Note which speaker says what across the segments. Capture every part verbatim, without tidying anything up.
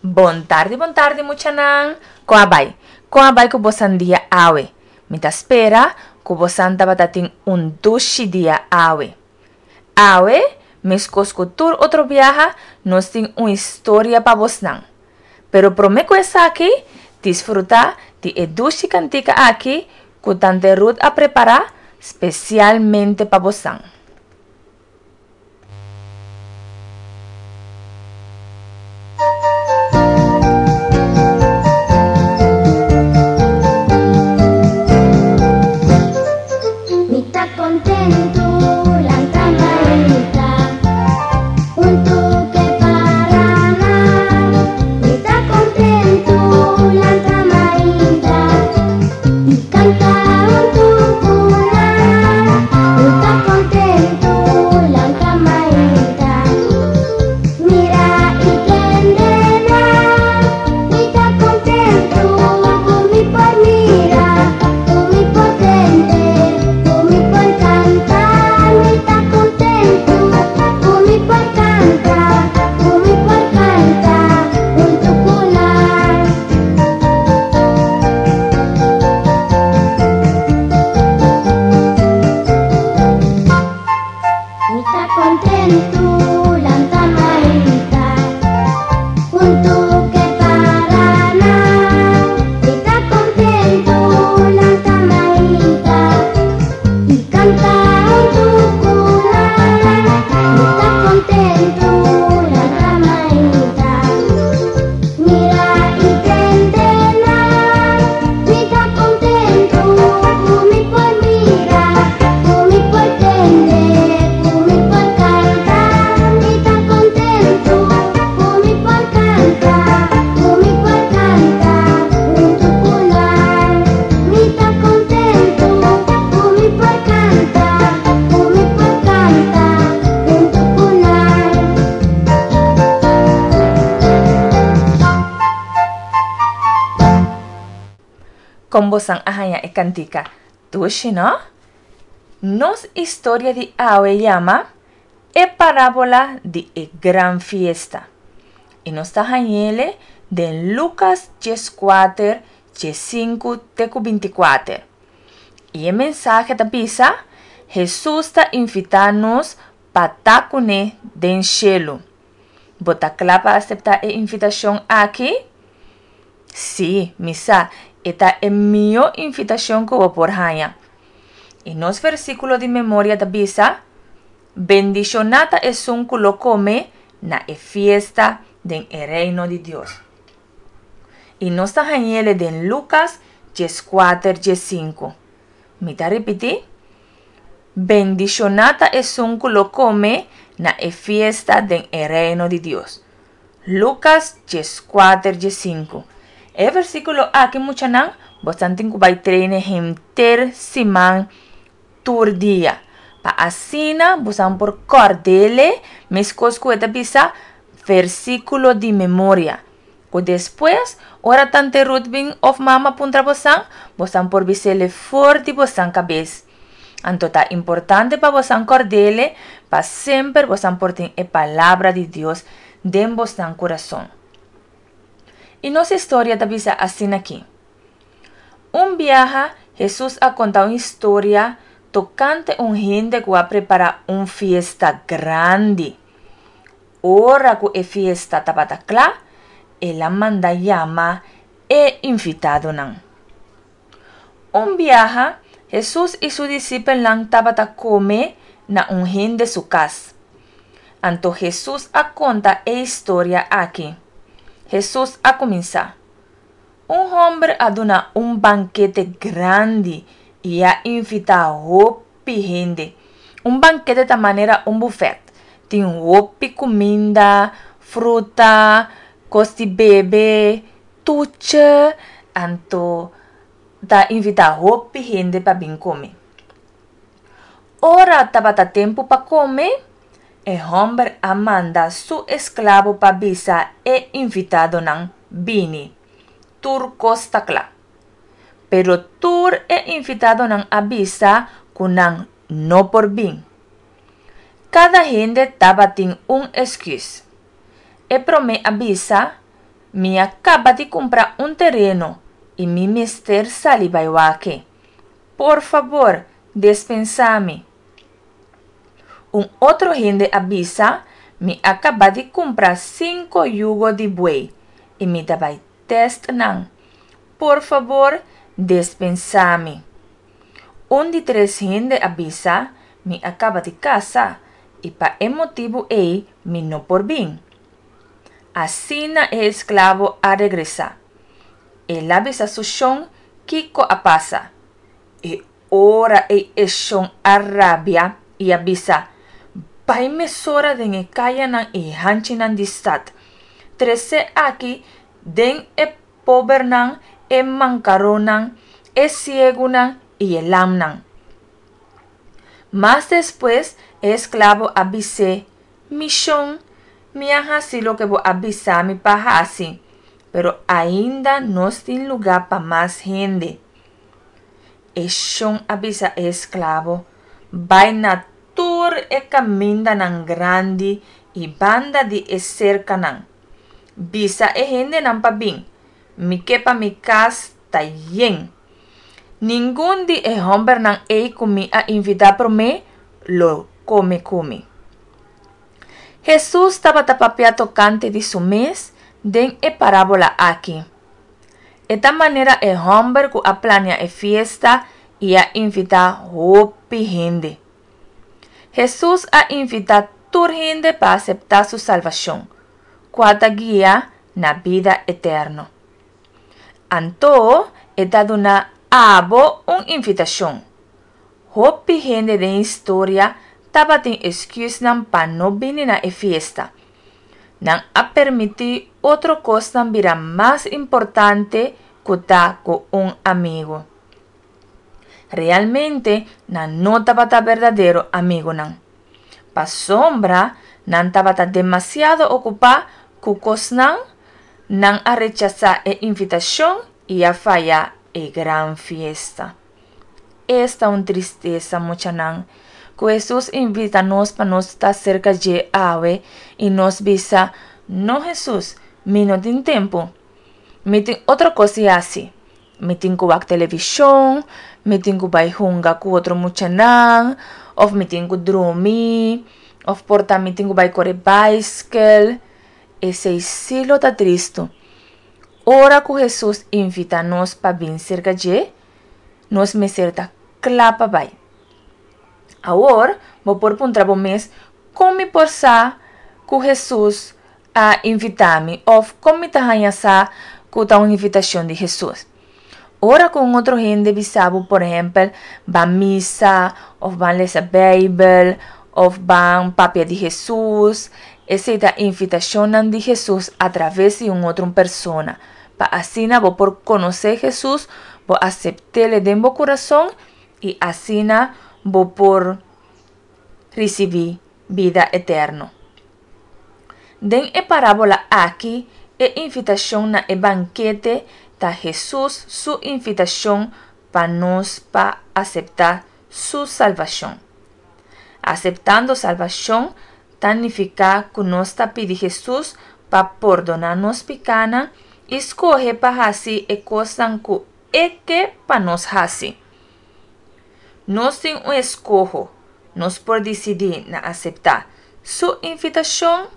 Speaker 1: Bon tardi, bon tardi muchanan. Kon a bai? Kon a bai ku bosan dia awe? Mi ta spera ku bosan tabata tin un dushi dia awe. Awe, meskos ku tur otro biaha, nos tin un historia pa bosnan. Pero promé ku esaki, disfrutá di e dushi kantika aki ku Tante Ruth a prepará spesialmente pa bosnan.
Speaker 2: Mi ta kontentu lanta mainta huntu ke paranan. Mi ta kontentu lanta mainta i kanta huntu ku nan. Mi ta kontentu lanta mainta mira i tende nan. Mi ta kontentu ku mi por mira, ku mi por tende, ku mi por kanta. Mi ta kontentu ku mi por kanta, ku mi por kanta huntu ku nan. Mi ta kontentu lanta mainta huntu ke paranan. Mi ta kontentu lanta mainta i kanta huntu ku nan. Mi ta kontentu lanta mainta mira i tende nan. Mi ta kontentu ku mi por mira, ku mi por tende, ku mi por kanta. Mi ta kontentu ku mi por kanta, ku mi por kanta huntu ku nan. Mi ta kontentu ku mi por kanta, ku mi por kanta huntu ku nan.
Speaker 1: Kon bosan a haña e kantika? Dushi, no? Nos historia di awe yama E Parábola di e Gran Fiesta. I nos ta hañ'ele den Lukas dieskuater, diesinku te ku bintikuater. I e mensahe ta bisa, Hesus ta invitá nos pa ta kuné den shelu. Bo ta kla pa aseptá e invitashon aki? Sí, mi sa, e ta e mihó invitashon ku bo por haña. I nos versíkulo di memoria ta bisa, Bendishoná ta esun ku lo kome na e fiesta den e Reino di Dios. I nos ta hañ'ele den Lukas dieskuater diesinku. Mi ta ripití, Bendishoná ta esun ku lo kome na e fiesta den e Reino di Dios. Lukas dieskuater diesinku. E versíkulo aki muchanan, bosan tin ku bai traine henter siman tur dia. Pa asina bosan por kòrd'ele meskos ku e ta bisa versíkulo di memoria. Ku despues ora tante Ruth bin òf mama puntra bosan, bosan por bis'ele for di bosan kabes. Anto ta importante pa bosan kòrd'ele pa semper bosan por tin e palabra di Dios den bosnan kurason. I nos historia ta bisa asin'aki. Un biaha Hesus a konta un historia tokante un hende ku a prepará un fiesta grandi. Ora ku e fiesta tabata kla, el a manda yama e invitadonan. Un biaha Hesus i su disipelnan tabata kome na un hende su kas. Anto Hesus a konta e historia aki. Hesus a kuminsá, Un hòmber a duna un bankete grandi i a invitá hopi hende. Un bankete ta manera un bufèt. Tin hopi kuminda, fruta, kos di bebe, tuche, anto ta invitá hopi hende pa bin kome. Ora tabata tempu pa kome, e hòmber a manda su esklabo pa bisa e invitadonan bini. Tur kos ta kla. Pero tur e invitadonan a bisa ku nan no por bin. Kada hende tabatin un esküs. E promé a bisa, Mi a kaba di kumpra un tereno i mi mester sali bai wak e. Por fabor, dispensá mi. Un otro hende a bisa, Mi a kaba di kumpra sinku yugo di buey i mi ta bai tèst nan. Por fabor, dispensá mi. Un di tres hende a bisa, Mi a kaba di kasa i pa e motibu ei mi no por bin. Asina e esklabo a regresá. El a bisa su shon kiko a pasa. E ora ei e shon a rabia i a bisa, Bai mesora den e kayanan i hanchinan di stat. Trese aki den e pobernan, e mankaronnan, e siegunan i e lamnan. Mas despues e esklabo a bis'é, Mi shon, mi a hasi loke bo a bisa mi pa hasi, pero ainda nos tin lugá pa mas hende. E shon a bisa e esklabo, Bai na tur e kamindanan grandi i banda di e serkanan. Bisa e hendenan pa bin, mi ke pa mi kas ta yen. Ningun di e hòmbernan ei ku mi a invitá promé lo kome ku mi. Hesus tabata papia tokante di su mes den e parábola aki. E ta manera e hòmber ku a plania e fiesta i a invitá hopi hende. Hesus a invitá tur hende pa aseptá su salbashon, kua ta guia na bida eterno. Anto e ta duna abo un invitashon. Hopi hende den historia tabatin esküsnan pa no bini na e fiesta. Nan a permití otro kosnan bira mas importante ku ta ku un amigu. Realmente nan no tabata berdadero amigunan. Pasobra nan tabata demasiado okupá ku kosnan, nan a rechasá e invitashon i a faya e gran fiesta. Esta un tristesa, muchanan, ku Hesus invita nos pa nos ta serka dje awe i nos bisa, No Hesus, mi no tin tempu. Mi tin otro kos di hasi. Mi tin ku wak televishon, mi tin ku bai hunga ku otro muchanan, òf mi tin ku drumi, òf por ta mi tin ku bai kore baiskel. Esei sí lo ta tristu. Ora ku Hesus invitá nos pa bin serka dje, nos mester ta kla pa bai. Awor, bo por puntra bo mes, Kon mi por sa ku Hesus a invitá mi òf kon mi ta haña sa ku ta un invitashon di Hesus? Ora ku un otro hende bisa bo, por ehèmpel, ban misa òf ban lesa Beibel òf ban papia di Hesus, esei ta invitashonnan di Hesus atraves di un otro persona, pa asina bo por konosé Hesus, bo asept'é den bo kurason i asina bo por risibí bida eterno. Den e parábola aki, e invitashon na e bankete ta Hesus su invitashon pa nos pa aseptá su salbashon. Aseptando salbashon ta nifiká ku nos ta pidi Hesus pa pordoná nos pikánan i skohe pa hasi e kosnan ku e ke pa nos hasi. Nos tin un eskoho, nos por disidí na aseptá su invitashon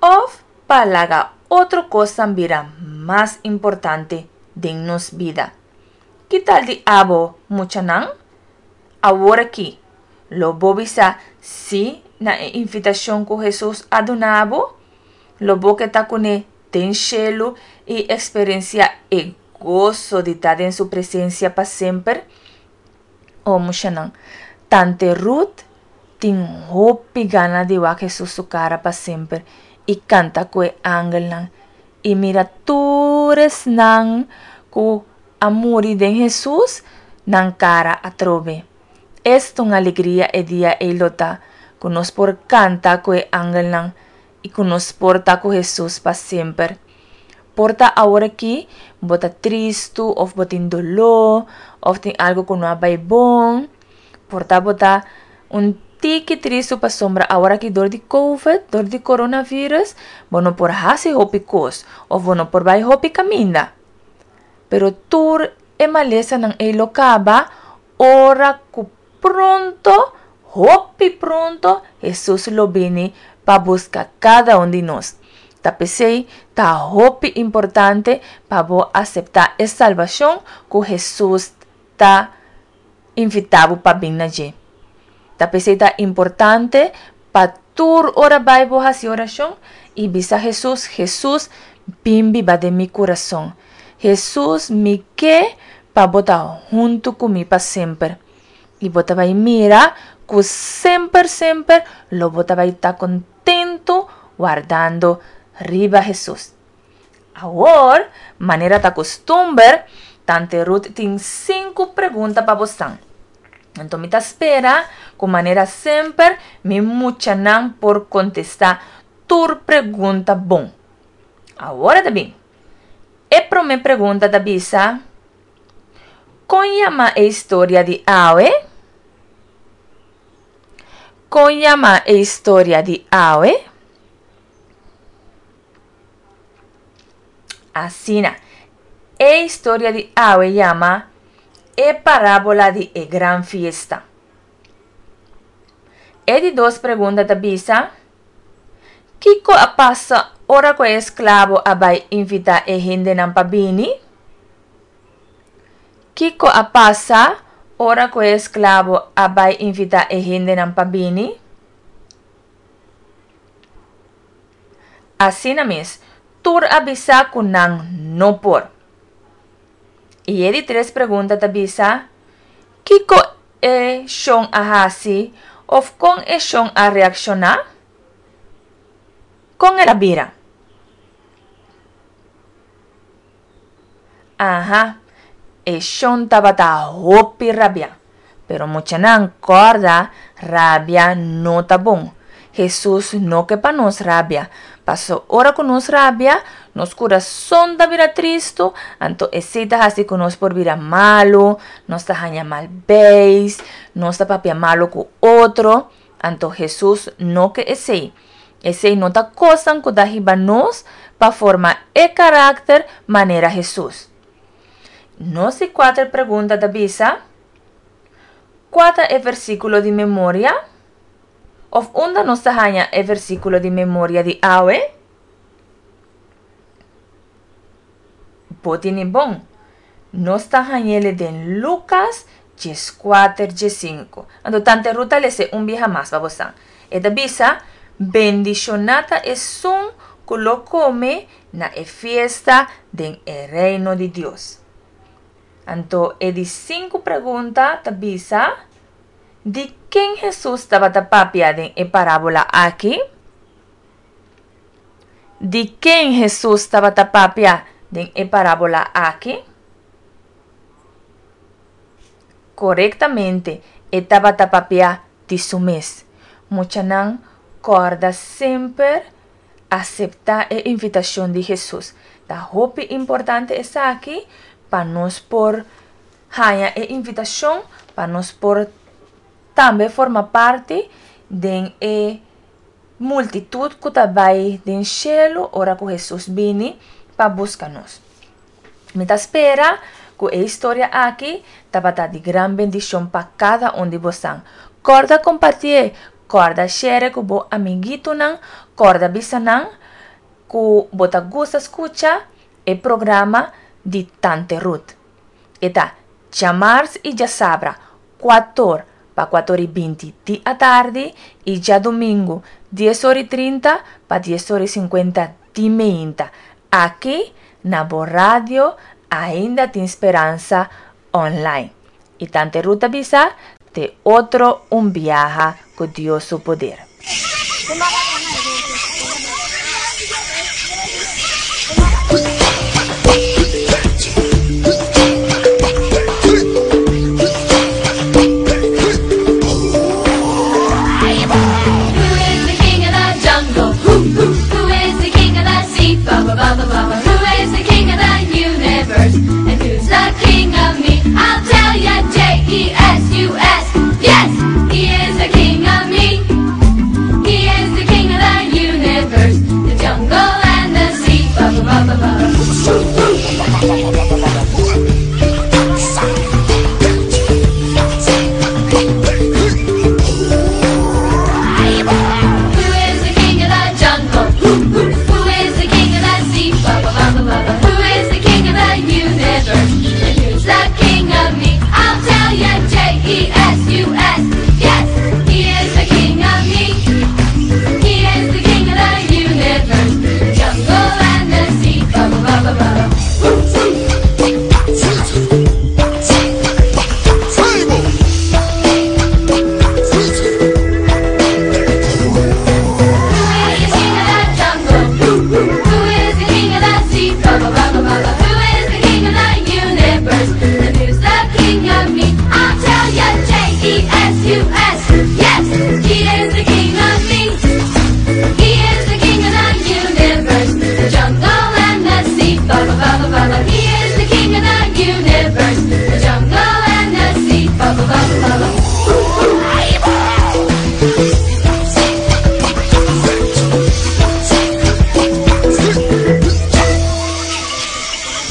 Speaker 1: òf pa laga otro kosnan bira mas importante den nos bida. Ki tal di abo, muchanan? Awor aki, lo bo bisa sí na e invitashon ku Hesus a duna bo? Lo bo ke ta kuné den shelu i eksperensiá e goso di ta den su presensia pa semper? O muchanan, tante Ruth tin hopi gana di wak Hesus su kara pa semper i kanta ku e angelnan i mira tur esnan ku a muri den Hesus nan kara atrobe. Esta un alegria e dia ei lo ta ku nos por kanta ku e angelnan i ku nos por ta ku Hesus pa semper. Por ta aworakí bo ta tristu òf bo tin doló òf tin algu ku no a bai bon. Por ta bo ta un tiki tristu pasobra awor aki dor di Covid, dor di coronavirus, bo no por hasi hopi kos òf bo no por bai hopi kaminda. Pero tur e malesanan ei lo kaba ora ku pronto, hopi pronto, Hesus lo bini pa buska kada un di nos. Ta p'esei ta hopi importante pa bo aseptá e salbashon ku Hesus ta invitá bo pa bin na dje. Ta p'esei ta importante pa tur ora bai bo hasi orashon i bisa Hesus, Hesus, bin biba den mi kurason. Hesus, mi ke pa bo ta huntu ku mi pa semper. I bo ta bai mira ku semper semper lo bo ta bai ta kontentu wardando riba Hesus. Awor, manera ta kustumber, Tante Ruth tin sinku pregunta pa bosan. Anto mi ta spera ku manera semper mi muchanan por kontestá tur pregunta bon. Awor ta bin. E promé pregunta ta bisa: Kon yama e historia di awe? Kon yama e historia di awe? Asina, e historia di awe yama E parábola di e gran fiesta. E di dos pregunta ta bisa: Kiko a pasa ora ku e esklabo a bai invitá e hendenan pa bini? Kiko a pasa ora ku e esklabo a bai invitá e hendenan pa bini? Asina mes, tur a bisa ku nan no por. I e di tres pregunta ta bisa: Kiko e shon a hasi òf kon e shon a reakshoná? Kon el a bira? Aha, e shon tabata hopi rabiá. Pero muchanan, kòrda, rabia no ta bon. Hesus no ke pa nos rabia. Paso ora ku nos rabia, nos kurason ta bira tristu, anto esei ta hasi ku nos por bira malu, nos ta haña mal beis, nos ta papia malu ku otro. Anto Hesus no ke esei. Esei no ta kosnan ku ta hiba nos pa forma e karakter manera Hesus. Nos di kuater pregunta ta bisa, Kua ta e versíkulo di memoria? Òf unda nos ta haña e versíkulo di memoria di awe? Bo tene bon. Nos ta hañ'ele den Lukas dieskuater diesinku. Anto Tante Ruth ta lese un biaha mas pa bosan. E ta bisa, Bendishoná ta esun ku lo kome na e fiesta den e Reino di Dios. Anto e di sinku pregunta ta bisa, Di ken Hesus tabata papia den e parábola aki? Di ken Hesus tabata papia den e parábola aki? Korektamente, e tabata papia di su mes. Muchanan, kòrda semper aseptá e invitashon di Hesus. Ta hopi importante esaki pa nos por haña e invitashon, pa nos por tambe forma parti den e multitut ku ta bai den shelu ora ku Hesus bini pa buska nos. Mi ta spera ku e historia aki tabata di gran bendishon pa kada un di bosan. Kòrda kompartié, kòrda share ku bo amiguitonan, kòrda bisa nan ku bo ta gusta skucha e programa di Tante Ruth. E ta djamars i djasabra kuator pa kuator i binti di atardi i djadumingu dies or i trinta pa dies or i sinkuenta di meinta. Aki na bo radio Ainda Tin Speransa online. I Tante Ruth ta bisa te otro un biaha ku Dios su poder.
Speaker 3: Ba ba ba.